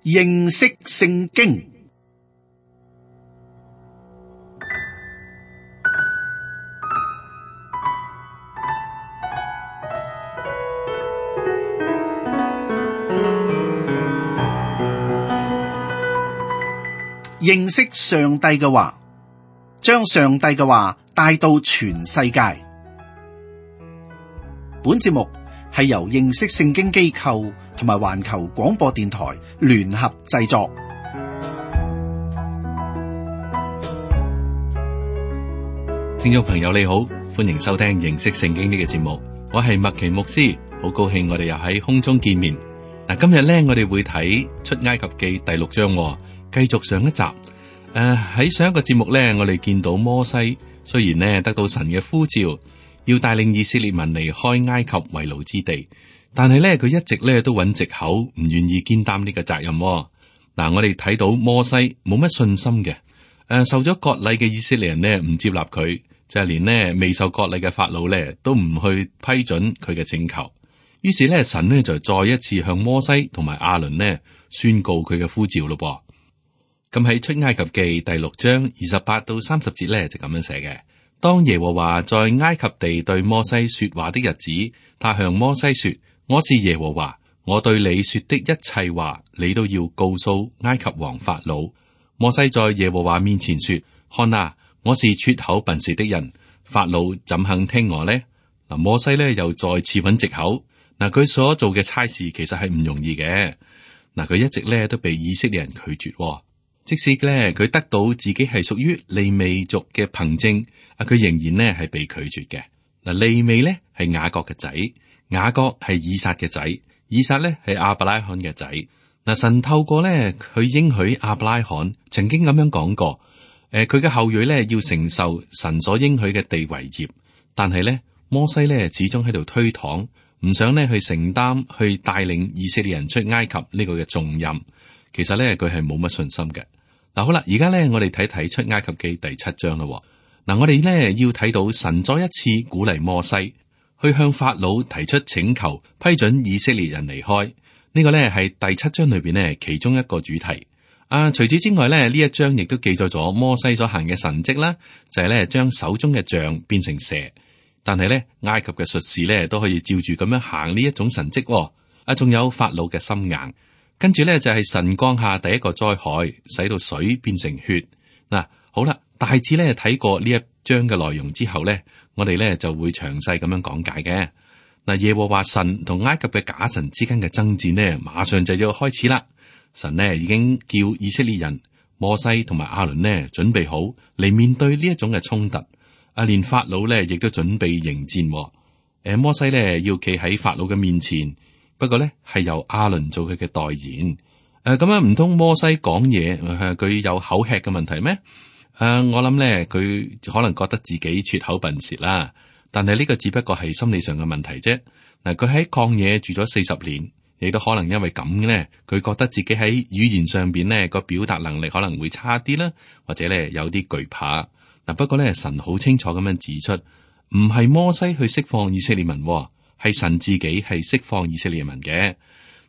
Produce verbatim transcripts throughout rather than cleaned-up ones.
認識聖經。認識上帝嘅話，將上帝嘅話帶到全世界。本節目係由認識聖經機構同埋環球廣播電台聯合製作。聽眾朋友你好，歡迎收聽認識聖經呢個節目，我係麥奇牧師，好高興我哋又喺空中見面。嗱，今日咧我哋會睇出埃及記第六章，繼續上一集。誒、呃、喺上一個節目咧，我哋見到摩西雖然呢得到神嘅呼召，要帶領以色列民離開埃及為奴之地，但係咧佢一直咧都揾藉口，唔願意肩擔呢個責任。嗱、呃，我哋睇到摩西冇乜信心嘅，誒、呃、受咗割禮嘅以色列人呢唔接納佢，就係、是、連呢未受割禮嘅法老咧都唔去批准佢嘅請求。於是咧神呢就再一次向摩西同埋亞倫呢宣告佢嘅呼召咯噃。咁喺出埃及記第六章二十八到三十節咧就咁樣寫嘅。當耶和華在埃及地對摩西說話的日子，他向摩西說：我是耶和華，我對你說的一切話，你都要告訴埃及王法老。摩西在耶和華面前說：看啊，我是拙口笨舌的人，法老怎肯聽我呢？嗱，摩西咧又再次揾藉口。嗱，佢所做嘅差事其實係唔容易嘅。嗱，佢一直咧都被以色列人拒絕。即使咧佢得到自己係屬於利未族嘅憑證，啊，佢仍然咧係被拒絕嘅。嗱，利未咧係雅各嘅仔，雅各係以撒嘅仔，以撒咧係亞伯拉罕嘅仔。嗱，神透過咧佢應許亞伯拉罕曾經咁樣講過，誒，佢嘅後裔咧要承受神所應許嘅地為業，但係咧摩西咧始終喺度推搪，唔想咧去承擔去帶領以色列人出埃及呢個嘅重任。其實咧佢係冇乜信心嘅。嗱，好啦，而家咧我哋睇睇出埃及記第七章咯。嗱，我哋咧要睇到神再一次鼓勵摩西去向法老提出請求，批准以色列人離開。呢、這個咧係第七章裏邊呢其中一個主題。啊，除此之外咧，呢一章亦都記載咗摩西所行嘅神蹟啦，就係咧將手中嘅杖變成蛇。但係咧埃及嘅術士咧都可以照住咁樣行呢一種神蹟。啊，仲有法老嘅心硬。跟住咧就係神降下第一個災害，使到水變成血。嗱，好啦，大致咧睇過呢一章嘅內容之後咧，我哋咧就會詳細咁樣講解嘅。嗱，耶和華神同埃及嘅假神之間嘅爭戰呢，馬上就要開始啦。神呢已經叫以色列人摩西同埋亞倫呢準備好嚟面對呢一種嘅衝突。啊，連法老咧亦都準備迎戰。誒，摩西咧要企喺法老嘅面前。不過咧，係由亞倫做佢嘅代言。誒、呃，咁樣唔通摩西講嘢，佢、呃、有口吃嘅問題咩？誒、呃，我諗咧，佢可能覺得自己拙口笨舌啦。但係呢個只不過係心理上嘅問題啫。嗱、呃，佢喺曠野住咗四十年，亦都可能因為咁咧，佢覺得自己喺語言上邊咧個表達能力可能會差啲啦，或者咧有啲懼怕。嗱、呃，不過咧，神好清楚咁樣指出，唔係摩西去釋放以色列民。係神自己係釋放以色列民嘅。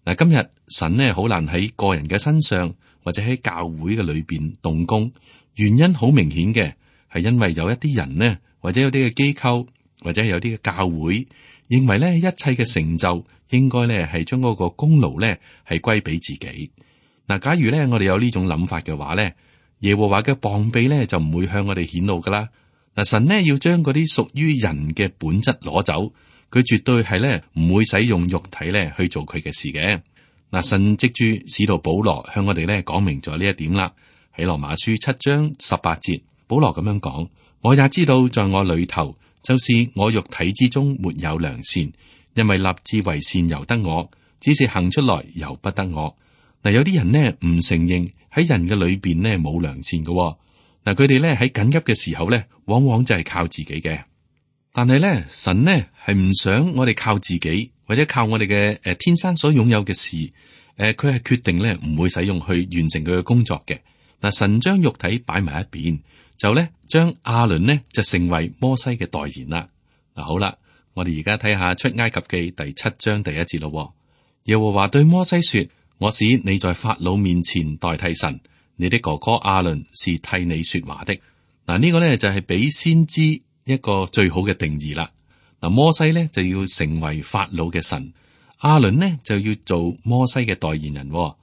嗱，今日神呢好難喺個人嘅身上或者喺教會嘅裏邊動工，原因好明顯嘅，係因為有一啲人呢，或者有啲嘅機構，或者有啲嘅教會，認為呢一切嘅成就應該呢係將嗰個功勞呢係歸俾自己。嗱，假如呢我哋有呢種諗法嘅話呢，耶和華嘅膀臂呢就唔會向我哋顯露噶啦。嗱，神呢要將嗰啲屬於人嘅本質攞走。佢絕對係咧唔會使用肉體咧去做佢嘅事嘅。嗱，神藉住使徒保羅向我哋咧講明咗呢一點啦。喺羅馬書七章十八節，保羅咁樣講：我也知道在我裏頭，就是我肉體之中沒有良善，因為立志為善由得我，只是行出來由不得我。嗱，有啲人呢唔承認喺人嘅裏邊呢冇良善嘅。嗱，佢哋咧喺緊急嘅時候咧，往往就係靠自己嘅。但係咧，神呢係唔想我哋靠自己，或者靠我哋嘅誒天生所擁有嘅事。誒、呃，佢係決定咧唔會使用去完成佢嘅工作嘅。嗱，神將肉體擺埋一邊，就咧將亞倫呢就成為摩西嘅代言啦。嗱，好啦，我哋而家睇下出埃及記第七章第一節咯。耶和華對摩西說：我使你在法老面前代替神，你的哥哥亞倫是替你說話的。嗱，呢個呢就係俾先知一個最好嘅定義啦。嗱，摩西呢就要成為法老嘅神，亞倫呢就要做摩西嘅代言人。嗱，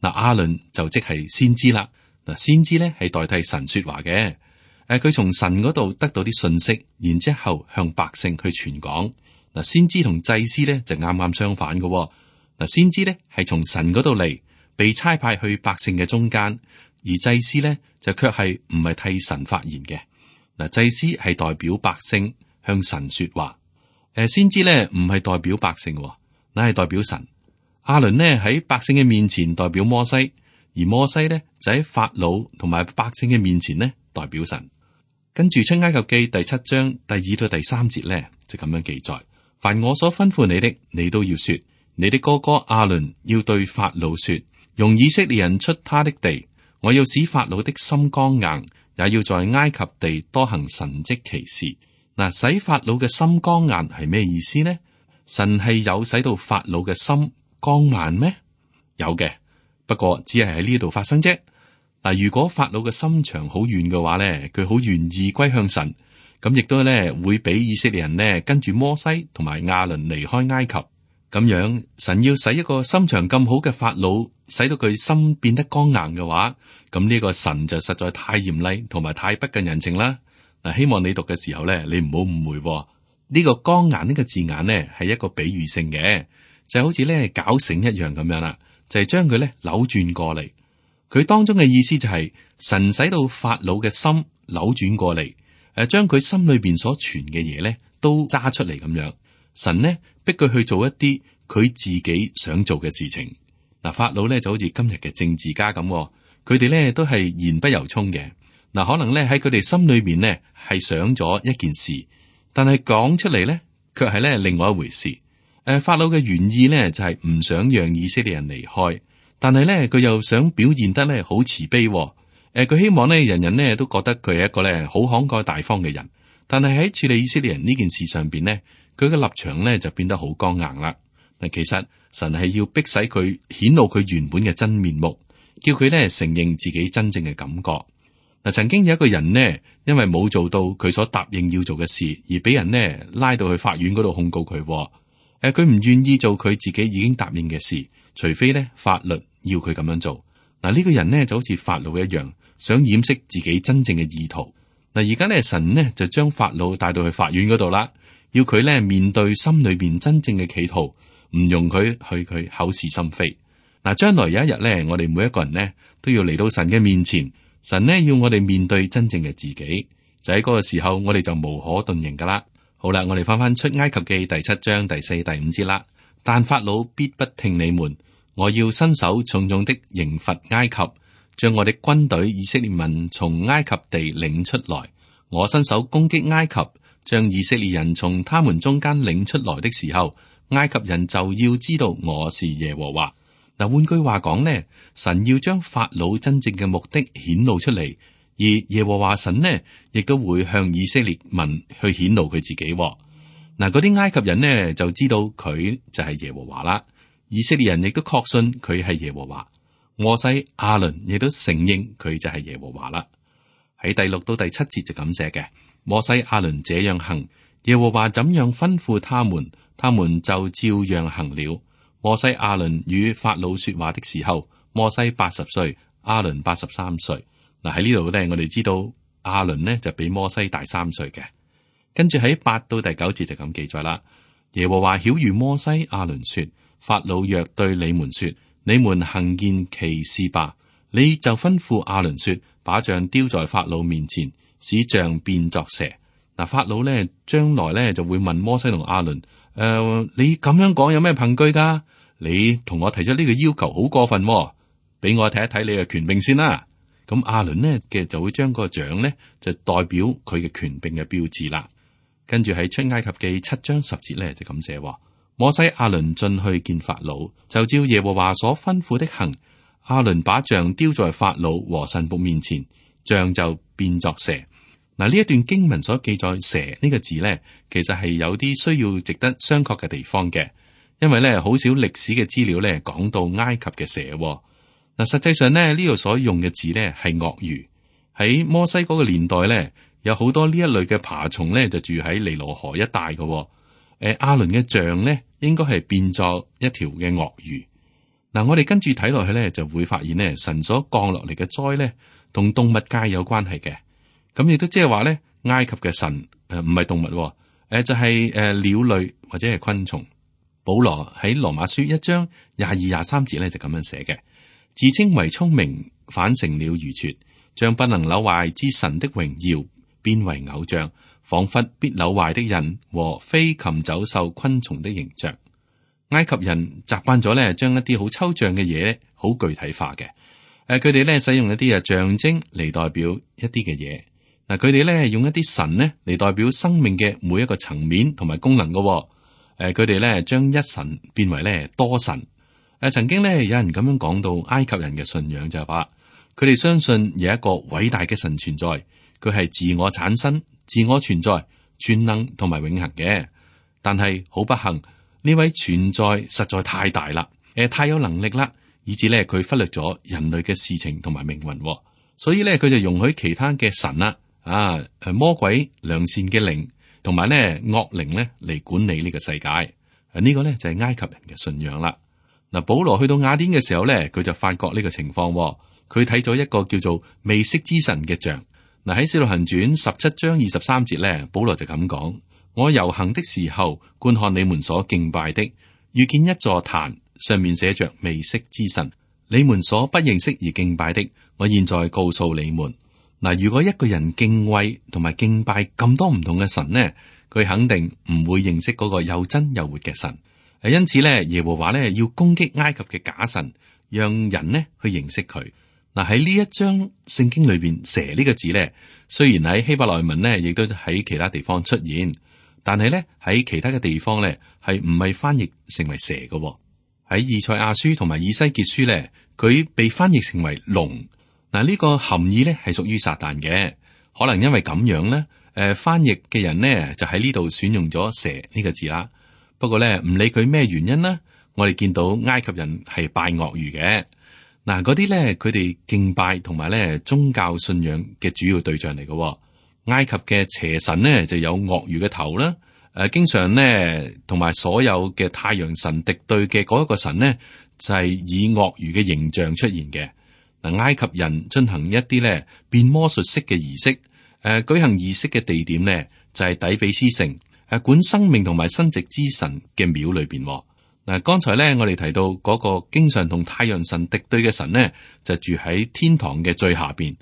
亞倫就即係先知啦。嗱，先知呢係代替神說話嘅。誒，佢從神嗰度得到啲信息，然之後向百姓去傳講。嗱，先知同祭司呢就啱啱相反嘅。嗱，先知呢係從神嗰度嚟，被差派去百姓嘅中間，而祭司呢就卻係唔係替神發言嘅。嗱，祭司係代表百姓向神說話，誒，先知呢唔係代表百姓，乃係代表神。亞倫呢喺百姓嘅面前代表摩西，而摩西呢就喺法老同埋百姓嘅面前呢代表神。跟住出埃及記第七章第二到第三節呢就咁樣記載：凡我所吩咐你的，你都要說。你的哥哥亞倫要對法老說，容以色列人出他的地，我要使法老的心剛硬，也要在埃及地多行神蹟奇事。嗱，使法老嘅心剛硬係咩意思呢？神係有使到法老嘅心剛硬咩？有嘅，不過只係喺呢度發生啫。嗱，如果法老嘅心腸好軟嘅話咧，佢好願意歸向神，咁亦都咧會俾以色列人呢跟住摩西同埋亞倫離開埃及。咁樣，神要使一個心腸咁好嘅法老，使到佢心變得剛硬嘅話，咁呢個神就實在太嚴厲同埋太不近人情啦。嗱，希望你讀嘅時候咧，你唔好誤會喎。呢個剛硬呢個字眼咧係一個比喻性嘅，就好似咧絞繩一樣咁樣啦，就係將佢咧扭轉過嚟。佢當中嘅意思就係神使到法老嘅心扭轉過嚟，誒，將佢心裏邊所存嘅嘢咧都揸出嚟咁樣。神呢逼佢去做一啲佢自己想做嘅事情。嗱，法老咧就好似今日嘅政治家咁，佢哋咧都係言不由衷嘅。嗱，可能咧喺佢哋心裏面呢係想咗一件事，但係講出嚟咧卻係咧另外一回事。誒，法老嘅原意呢就係唔想讓以色列人離開，但係咧佢又想表現得咧好慈悲。誒，佢希望咧人人呢都覺得佢係一個咧好慷慨大方嘅人，但係喺處理以色列人呢件事上邊呢，佢嘅立場咧就變得好剛硬啦。嗱，其實神係要逼使佢顯露佢原本嘅真面目，叫佢咧承認自己真正嘅感覺。嗱，曾經有一個人呢，因為冇做到佢所答應要做嘅事，而俾人呢拉到去法院嗰度控告佢。誒，佢唔願意做佢自己已經答應嘅事，除非呢法律要佢咁樣做。嗱，呢個人呢就好似法老一樣，想掩飾自己真正嘅意圖。嗱，而家呢神呢就將法老帶到去法院嗰度啦。要佢咧面對心裏邊真正嘅企圖，唔容佢去佢口是心非。嗱，將來有一日咧，我哋每一個人呢都要嚟到神嘅面前，神呢要我哋面對真正嘅自己，就喺嗰個時候，我哋就無可遁形噶啦。好啦，我哋翻翻出埃及記第七章第四、第五節啦。但法老必不聽你們，我要伸手重重的刑罰埃及，將我的軍隊以色列民從埃及地領出來。我伸手攻擊埃及，將以色列人從他們中間領出來的時候，埃及人就要知道我是耶和華。嗱，換句話講呢，神要將法老真正嘅目的顯露出嚟，而耶和華神呢，亦都會向以色列民去顯露佢自己。嗱，嗰啲埃及人呢就知道佢就係耶和華啦，以色列人亦都確信佢係耶和華。摩西、亞倫亦都承認佢就係耶和華啦。喺第六到第七節就咁寫嘅。摩西亞倫這樣行，耶和華怎樣吩咐他們，他們就照樣行了。摩西亞倫與法老說話的時候，摩西八十歲，亞倫八十三歲。嗱，喺呢度咧，我哋知道亞倫呢就比摩西大三歲嘅。跟住喺八到第九節就咁記載啦。耶和華曉諭摩西亞倫說：法老若對你們說，你們行件奇事吧，你就吩咐亞倫說，把杖丟在法老面前，使杖變作蛇。嗱，法老咧將來咧就會問摩西同亞倫：誒、呃，你咁樣講有咩憑據噶？你同我提出呢個要求好過分，俾我睇一睇你嘅權柄先啦。咁亞倫呢嘅就會將個杖呢就代表佢嘅權柄嘅標誌啦。跟住喺出埃及記七章十節咧就咁寫：摩西亞倫進去見法老，就照耶和華所吩咐的行。亞倫把杖丟在法老和臣僕面前，杖就變作蛇。嗱，呢一段經文所記載蛇呢個字呢，其實係有啲需要值得商榷嘅地方嘅。因為咧好少歷史嘅資料咧講到埃及嘅蛇。嗱，實際上咧呢度所用嘅字咧係鱷魚。喺摩西嗰個年代咧，有好多呢一類嘅爬蟲咧就住喺尼羅河一帶嘅。誒，亞倫嘅像咧應該係變作一條嘅鱷魚。嗱，我哋跟住睇落去咧，就會發現咧神所降落嚟嘅災咧同動物界有關係嘅。咁亦都即係話咧，埃及嘅神誒唔係動物，誒、呃、就係、是、誒、呃、鳥類或者係昆蟲。保羅喺羅馬書一章廿二廿三節咧就咁樣寫嘅，自稱為聰明，反成了愚拙，將不能朽壞之神的榮耀變為偶像，仿佛必朽壞的人和飛禽走獸昆蟲的形象。埃及人習慣咗咧，將一啲好抽象嘅嘢好具體化嘅。誒，佢哋咧使用一啲啊象徵嚟代表一啲嘅嘢。嗱，佢哋咧用一啲神咧嚟代表生命嘅每一個層面同埋功能嘅。誒，佢哋咧將一神變為咧多神。誒，曾經咧有人咁樣講到埃及人嘅信仰就係話，佢哋相信有一個偉大嘅神存在，佢係自我產生、自我存在、全能同埋永恆嘅。但係好不幸，呢位存在實在太大啦，誒，太有能力啦，以至咧佢忽略咗人類嘅事情同埋命運，所以咧佢就容許其他嘅神啦，啊，誒魔鬼、良善嘅靈同埋咧惡靈咧嚟管理呢個世界。啊，呢個咧就係埃及人嘅信仰啦。嗱，保羅去到雅典嘅時候咧，佢就發覺呢個情況，佢睇咗一個叫做未識之神嘅像。嗱，喺《使徒行傳》十七章二十三節咧，保羅就咁講。我遊行的時候，觀看你們所敬拜的，遇見一座壇，上面寫着未識之神。你們所不認識而敬拜的，我現在告訴你們。嗱，如果一個人敬畏同埋敬拜咁多唔同嘅神呢，佢肯定唔會認識嗰個又真又活嘅神。因此咧，耶和華咧要攻擊埃及嘅假神，讓人呢去認識佢。嗱，喺呢一章聖經裏邊，蛇呢個字咧，雖然喺希伯來文呢亦都喺其他地方出現。但係咧喺其他嘅地方咧係唔係翻譯成為蛇嘅。喺以賽亞書同埋以西結書咧，佢被翻譯成為龍。嗱，呢個含義咧係屬於撒旦嘅，可能因為咁樣咧，誒、呃、翻譯嘅人呢就喺呢度選用咗蛇呢個字啦。不過咧唔理佢咩原因啦，我哋見到埃及人係拜鱷魚嘅。嗱，嗰啲咧佢哋敬拜同埋咧宗教信仰嘅主要對象嚟嘅。埃及嘅邪神呢就有鱷魚嘅頭啦，誒、呃，經常呢同埋所有嘅太陽神敵對嘅嗰一個神呢，就係、是、以鱷魚嘅形象出現嘅。嗱，埃及人進行一啲咧變魔術式嘅儀式，誒、呃，舉行儀式嘅地點呢就係、是、底比斯城，誒、呃，管生命同埋生殖之神嘅廟裏邊。嗱、呃，剛才咧我哋提到嗰個經常同太陽神敵對嘅神呢，就住喺天堂嘅最下邊。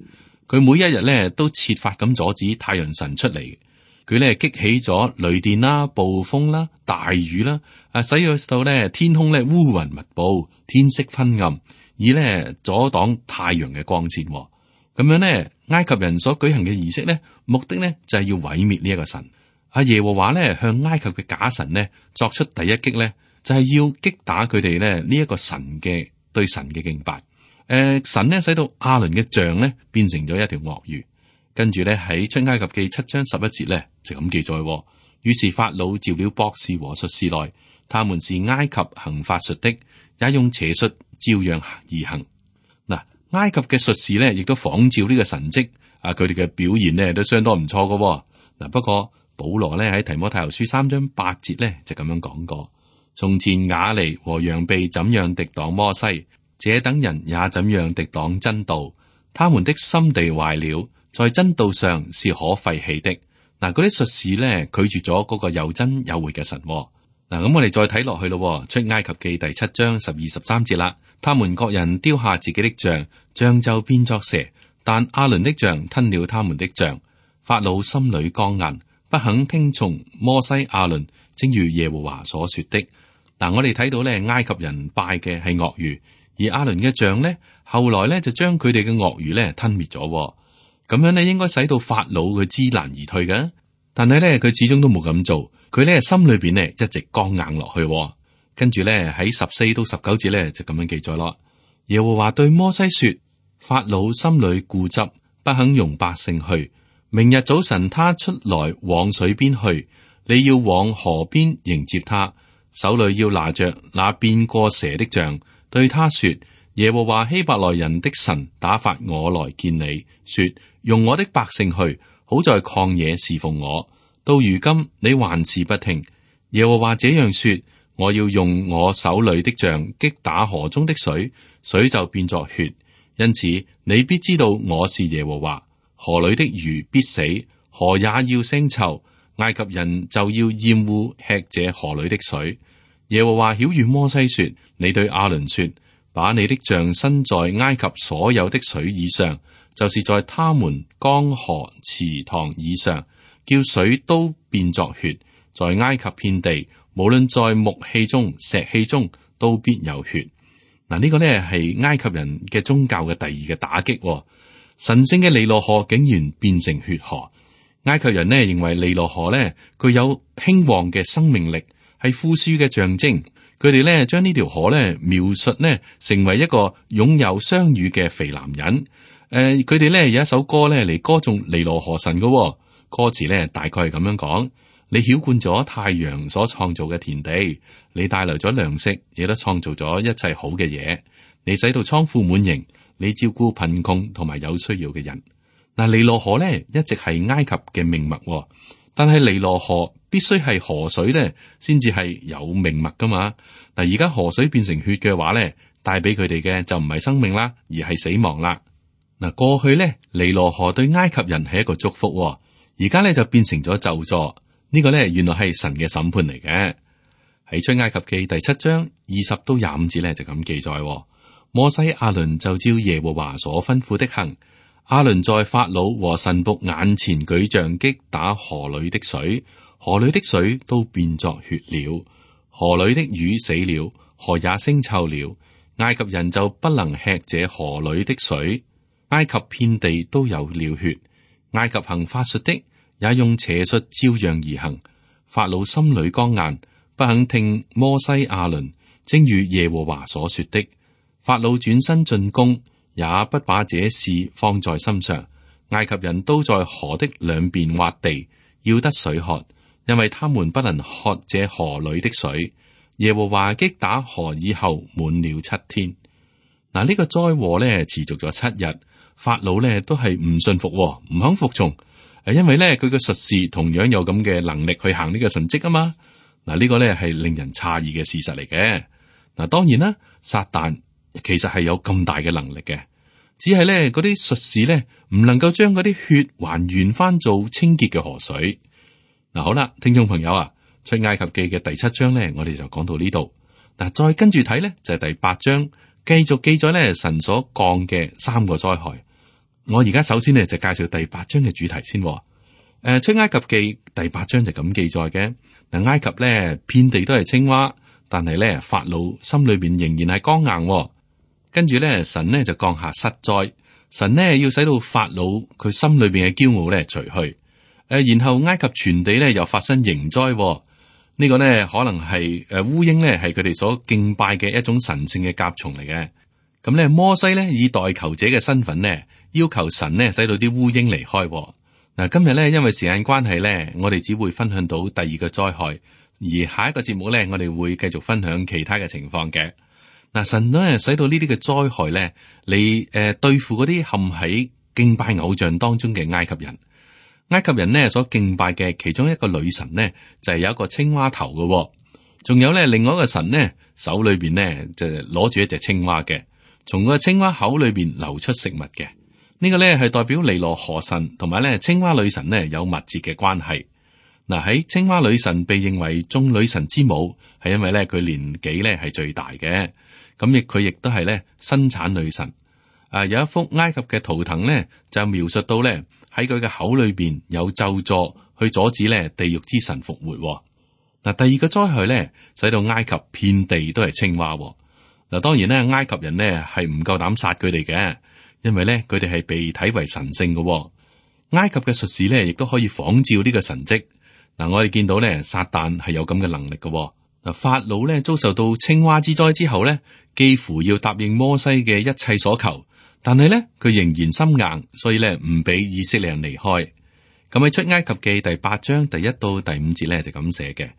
佢每一日咧都設法咁阻止太陽神出嚟，佢咧激起咗雷電啦、暴風啦、大雨啦，啊，使到咧天空咧烏雲密布，天色昏暗，以咧阻擋太陽嘅光線。咁樣咧，埃及人所舉行嘅儀式咧，目的咧就係要毀滅呢一個神。阿耶和華咧向埃及嘅假神咧作出第一擊咧，就係要擊打佢哋咧呢一個神嘅對神嘅敬拜。誒、呃，神呢使到亞倫嘅像呢變成咗一條鱷魚，跟住呢喺出埃及記七章十一節呢就咁記載。於是法老召了博士和術士來，他們是埃及行法術的，也用邪術照樣而行。嗱，埃及嘅術士呢亦都仿照呢個神蹟，啊，佢哋嘅表現呢都相當唔錯噶。嗱，不過保羅呢喺提摩太後書三章八節呢就咁樣講過：從前雅尼和楊秘怎樣敵擋摩西，這等人也怎樣敵擋真道，他們的心地壞了，在真道上是可廢棄的。嗱，嗰啲術士咧拒絕咗嗰個又真又活嘅神。嗱，咁我哋再睇落去咯，出埃及記第七章十二十三節啦。他們各人丟下自己的像，像就變作蛇，但亞倫的像吞了他們的像。法老心裏剛硬，不肯聽從摩西亞倫，正如耶和華所說的。嗱，我哋睇到咧，埃及人拜嘅係鱷魚。而亞倫嘅像呢，後來呢就將佢哋嘅鱷魚呢吞滅咗，咁樣呢應該使到法老佢知難而退嘅。但係呢，佢始終都冇咁做，佢呢心裏邊呢一直剛硬落去。跟住呢喺十四到十九節呢就咁樣記載咯。耶和華對摩西說：法老心裏固執，不肯容百姓去。明日早晨他出來往水邊去，你要往河邊迎接他，手裏要拿着那變過蛇的杖，對他說：耶和華希伯來人的神打發我來見你，說用我的百姓去，好在曠野侍奉我。到如今你還是不聽。耶和華這樣說：我要用我手裏的杖擊打河中的水，水就變作血。因此你必知道我是耶和華。河裏的魚必死，河也要腥臭，埃及人就要厭惡吃這河裏的水。耶和華曉諭摩西說：你對亞倫說，把你的杖伸在埃及所有的水以上，就是在他們江河池塘以上，叫水都變作血。在埃及遍地，無論在木器中、石器中，都必有血。嗱，呢個呢係埃及人嘅宗教嘅第二個打擊。神聖嘅尼羅河竟然變成血河。埃及人呢認為尼羅河呢具有興旺嘅生命力，係富庶嘅象徵。佢哋呢將呢條河呢描述呢成為一個擁有雙乳嘅肥男人。誒、呃，佢哋呢有一首歌呢嚟歌頌尼羅河神嘅、哦，歌詞呢大概係咁樣講：你澆灌咗太陽所創造嘅田地，你帶來咗糧食，亦都創造咗一切好嘅嘢。你使到倉庫滿盈，你照顧貧窮同埋有需要嘅人。嗱，尼羅河呢一直係埃及嘅命脈、哦，但係尼羅河必須係河水呢先至係有命脈噶嘛。嗱，而家河水變成血嘅話呢，帶俾佢哋嘅就唔係生命啦，而係死亡啦。嗱，過去呢，尼羅河對埃及人係一個祝福、哦，而家呢就變成咗咒詛。呢個呢，原來係神嘅審判嚟嘅。喺出埃及記第七章二十到廿五節呢，就咁記載：摩西亞倫就照耶和華所吩咐的行。亞倫在法老和臣僕眼前舉杖擊打河裏的水，河裏的水都變作血了，河裏的魚死了，河也腥臭了。埃及人就不能吃這河裏的水。埃及遍地都有了血。埃及行法術的也用邪術照樣而行。法老心裏剛硬，不肯聽摩西亞倫，正如耶和華所說的。法老轉身進攻，也不把這事放在心上。埃及人都在河的兩邊挖地，要得水喝，因為他們不能喝這河裏的水。耶和華擊打河以後滿了七天。嗱，呢個災禍咧持續咗七日，法老咧都係唔信服，唔肯服從。誒，因為咧佢嘅術士同樣有咁嘅能力去行呢個神蹟啊嘛。嗱，呢個咧係令人詫異嘅事實嚟嘅。嗱，當然啦，撒旦其實係有咁大嘅能力嘅，只係咧嗰啲術士咧唔能夠將嗰啲血還原翻做清潔嘅河水。嗱，好啦，聽眾朋友啊，出埃及記嘅第七章咧，我哋就講到呢度。嗱，再跟住睇咧就係第八章，繼續記載咧神所降嘅三個災害。我而家首先呢，就介紹第八章嘅主題先。誒、呃，出埃及記第八章就咁記載嘅。嗱，埃及咧遍地都係青蛙，但係咧法老心裏邊仍然係剛硬。跟住咧神呢就降下失災，神呢要使到法老佢心裏邊嘅驕傲咧除去。誒、呃，然後埃及全地咧又發生刑災。呢、這個呢可能係誒烏蠅咧係佢哋所敬拜嘅一種神聖嘅甲蟲嚟嘅。咁咧摩西咧以代求者嘅身份呢，要求神呢使到啲烏蠅離開。嗱，今日咧因為時間關係咧，我哋只會分享到第二個災害，而下一個節目咧，我哋會繼續分享其他嘅情況嘅。嗱，神咧使到呢啲嘅災害咧，嚟誒對付嗰啲陷喺敬拜偶像當中嘅埃及人。埃及人呢所敬拜嘅其中一個女神呢，就係有一個青蛙頭嘅，仲有咧另外一個神呢，手裏邊呢就攞住一隻青蛙嘅，從個青蛙口裏邊流出食物嘅。呢個咧係代表尼羅河神同埋咧青蛙女神呢有密切嘅關係。嗱，喺青蛙女神被認為眾女神之母，係因為咧佢年紀咧係最大嘅，咁亦佢亦都係咧生產女神。啊，有一幅埃及嘅圖騰咧就描述到咧喺佢嘅口裏邊有咒詛去阻止咧地獄之神復活。嗱，第二個災害咧使到埃及遍地都係青蛙。嗱，當然咧埃及人呢係唔夠膽殺佢哋嘅。因為咧，佢哋係被睇為神聖嘅、哦。埃及嘅術士咧，亦都可以仿照呢個神蹟。嗱，我哋見到咧，撒旦係有咁嘅能力嘅、哦。嗱，法老咧遭受到青蛙之災之後咧，幾乎要答應摩西嘅一切所求，但係咧佢仍然心硬，所以咧唔俾以色列人離開。咁喺出埃及記第八章第一到第五節咧就咁寫嘅：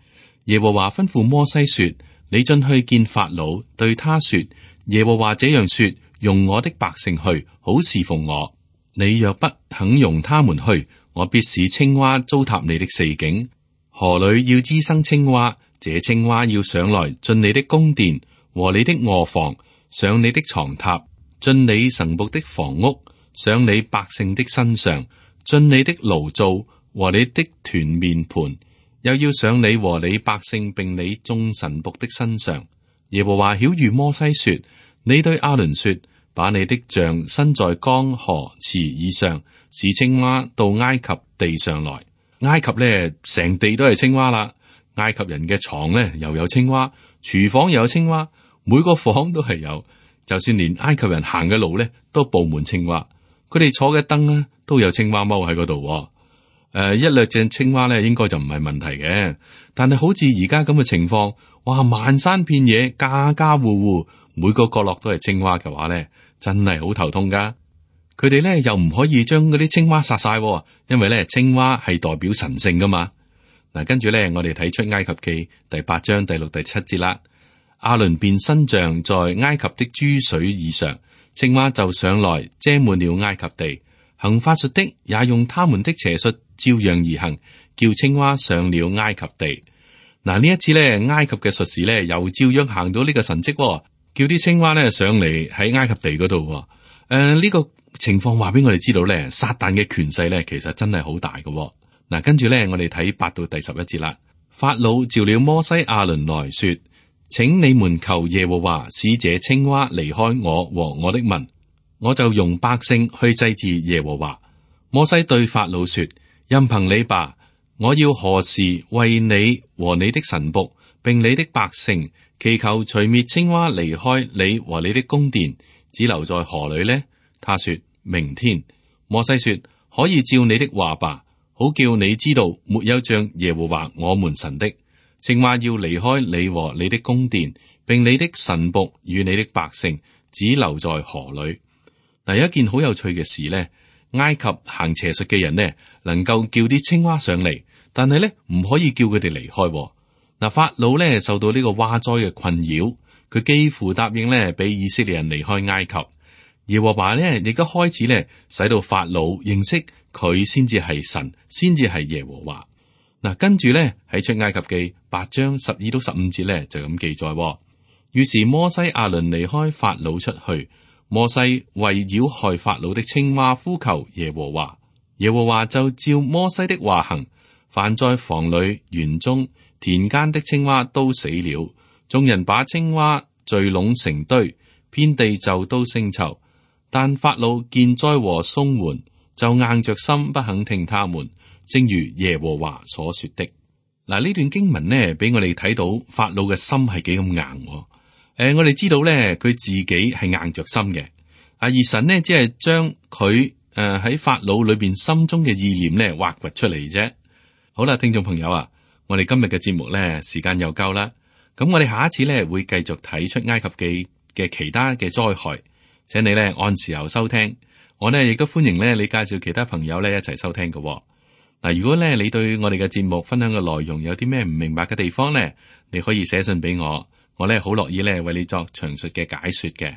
耶和華吩咐摩西說：你進去見法老，對他說：耶和華這樣說，容我的百姓去，好侍奉我。你若不肯容他們去，我必使青蛙糟蹋你的四境。河裏要滋生青蛙，這青蛙要上來進你的宮殿和你的臥房，上你的床榻，進你臣僕的房屋，上你百姓的身上，進你的爐灶和你的團麵盤，又要上你和你百姓並你眾臣僕的身上。耶和華曉諭摩西說：你對亞倫說，把你的杖伸在江河池以上，使青蛙到埃及地上來。埃及呢，成地都係青蛙啦。埃及人嘅床呢，又有青蛙，廚房又有青蛙，每個房都係有。就算連埃及人行嘅路呢，都布滿青蛙。佢哋坐嘅燈呢，都有青蛙踎喺嗰度。誒、呃，一兩隻青蛙呢，應該就唔係問題嘅。但係好似而家咁嘅情況，哇，漫山遍野，家家戶戶，每個角落都係青蛙嘅話呢，真係好頭痛噶。佢哋咧又唔可以將嗰啲青蛙殺晒，因為咧青蛙係代表神聖噶嘛。嗱，跟住咧我哋睇出埃及記第八章第六第七節啦。亞倫便伸杖在埃及的諸水以上，青蛙就上來遮滿了埃及地。行法術的也用他們的邪術照樣而行，叫青蛙上了埃及地。嗱，呢一次咧埃及嘅術士咧又照樣行到呢個神蹟，叫啲青蛙咧上嚟喺埃及地嗰度。誒、呃，呢、這個情況話俾我哋知道咧，撒旦嘅權勢咧，其實真係好大嘅。嗱，跟住咧，我哋睇八到第十一節啦。法老召了摩西亞倫來說：請你們求耶和華使這青蛙離開我和我的民，我就容百姓去祭祀耶和華。摩西對法老說：任憑你吧，我要何時為你和你的臣僕並你的百姓祈求除滅青蛙離開你和你的宮殿，只留在河裏呢？他說：明天。摩西說：可以照你的話吧，好叫你知道沒有像耶和華我們神的。青蛙要離開你和你的宮殿，並你的臣僕與你的百姓，只留在河裏。嗱，有一件好有趣嘅事呢，埃及行邪術嘅人呢，能夠叫啲青蛙上嚟，但係呢唔可以叫佢哋離開。嗱，法老呢受到呢個蛙災嘅困擾，佢幾乎答應呢俾以色列人離開埃及。耶和華呢亦都開始呢使到法老認識佢先至係神，先至係耶和華。嗱，跟住呢喺出埃及記八章十二到十五節呢就咁記載。於是摩西亞倫離開法老出去，摩西為擾害法老的青蛙呼求耶和華，耶和華就照摩西的話行，凡在房裏、園中、田間的青蛙都死了。眾人把青蛙聚攏成堆，遍地就都腥臭。但法老見災禍鬆緩，就硬着心不肯聽他們，正如耶和華所說的。嗱，呢段經文呢，俾我哋睇到法老嘅心係幾咁硬。誒、呃，我哋知道咧，佢自己係硬着心嘅。啊，而神呢，只係將佢誒喺法老裏邊心中嘅意念咧挖掘出嚟啫。好啦，聽眾朋友啊，我哋今日嘅節目咧時間又夠啦。咁我哋下一次咧會繼續睇出埃及記嘅其他嘅災害。請你咧按時候收聽，我呢亦都歡迎咧你介紹其他朋友咧一齊收聽嘅。嗱，如果咧你對我哋嘅節目分享嘅內容有啲咩唔明白嘅地方咧，你可以寫信俾我，我咧好樂意咧為你作詳述嘅解說嘅。誒、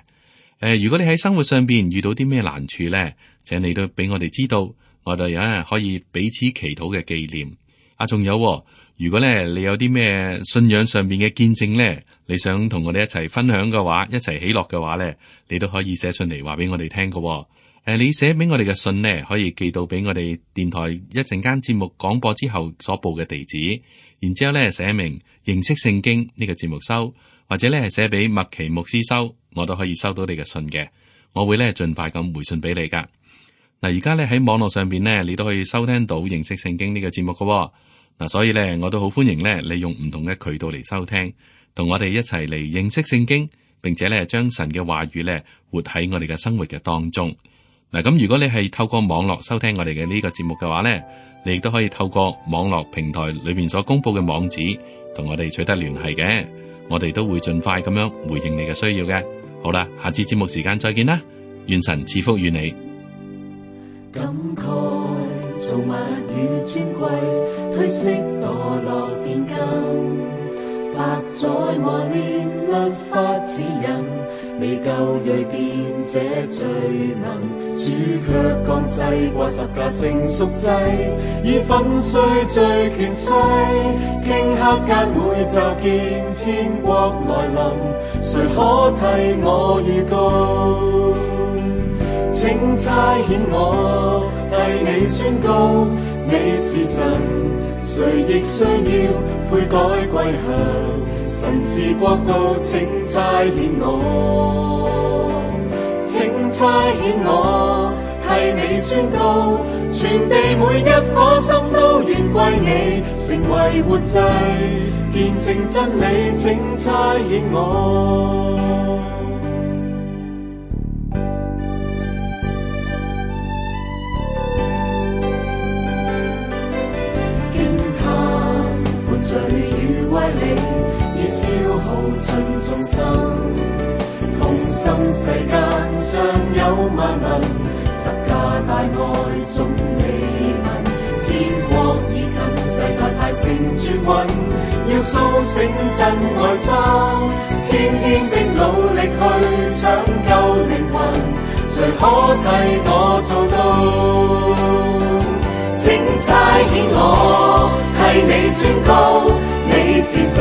呃，如果你喺生活上邊遇到啲咩難處咧，請你都俾我哋知道，我哋啊可以彼此祈禱嘅紀念。啊，仲有，如果咧你有啲咩信仰上邊嘅見證咧，你想同我哋一齊分享嘅話，一齊喜樂嘅話咧，你都可以寫信嚟話俾我哋聽嘅。誒、呃，你寫俾我哋嘅信呢，可以寄到俾我哋電台一陣間節目廣播之後所報嘅地址，然之後咧寫明認識聖經呢個節目收，或者咧寫俾麥奇牧師收，我都可以收到你嘅信嘅。我會咧盡快咁回信俾你噶。嗱，而家咧喺網絡上邊呢，你都可以收聽到認識聖經呢個節目嘅。嗱，所以咧，我都好歡迎咧，你用唔同嘅渠道嚟收聽，同我哋一齊嚟認識聖經，並且咧將神嘅話語咧活喺我哋嘅生活嘅當中。嗱，咁如果你係透過網絡收聽我哋嘅呢個節目嘅話咧，你亦都可以透過網絡平台裏面所公布嘅網址，同我哋取得聯繫嘅。我哋都會盡快咁樣回應你嘅需要嘅。好啦，下次節目時間再見啦，願神賜福與你。感慨造物與尊貴，褪色墮落變更，百載磨練律法指引，未夠鋭變這罪名，主卻降世過十架成贖祭，以粉碎罪權勢，頃刻間會驟見天國來臨，誰可替我預告？請差遣我替你宣告，你是神，誰亦需要悔改歸向神治國度。請差遣我，請差遣我替你宣告，全地每一顆心都願歸你，成為活祭，見證真理。請差遣我。罪與威力，已消耗盡眾生，痛心世間尚有萬民，十架大愛總未聞，天國已近，世界太成絕運，要甦醒真愛心，天天的努力去搶救靈魂，誰可替我做到？請差遣我替你宣告，你是神，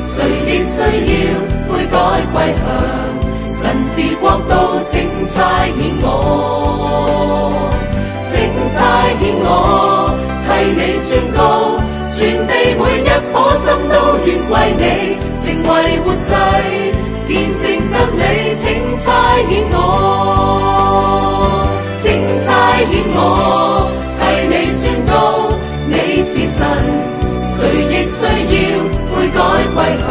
誰亦需要悔改歸向神治國度。請差遣我，請差遣我替你宣告，全地每一顆心都願歸你，成為活祭，見證真理。請差遣我，請差遣我替你宣告，你是神，誰亦需要悔改歸向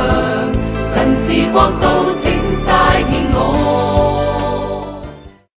神治國度。請差遣我。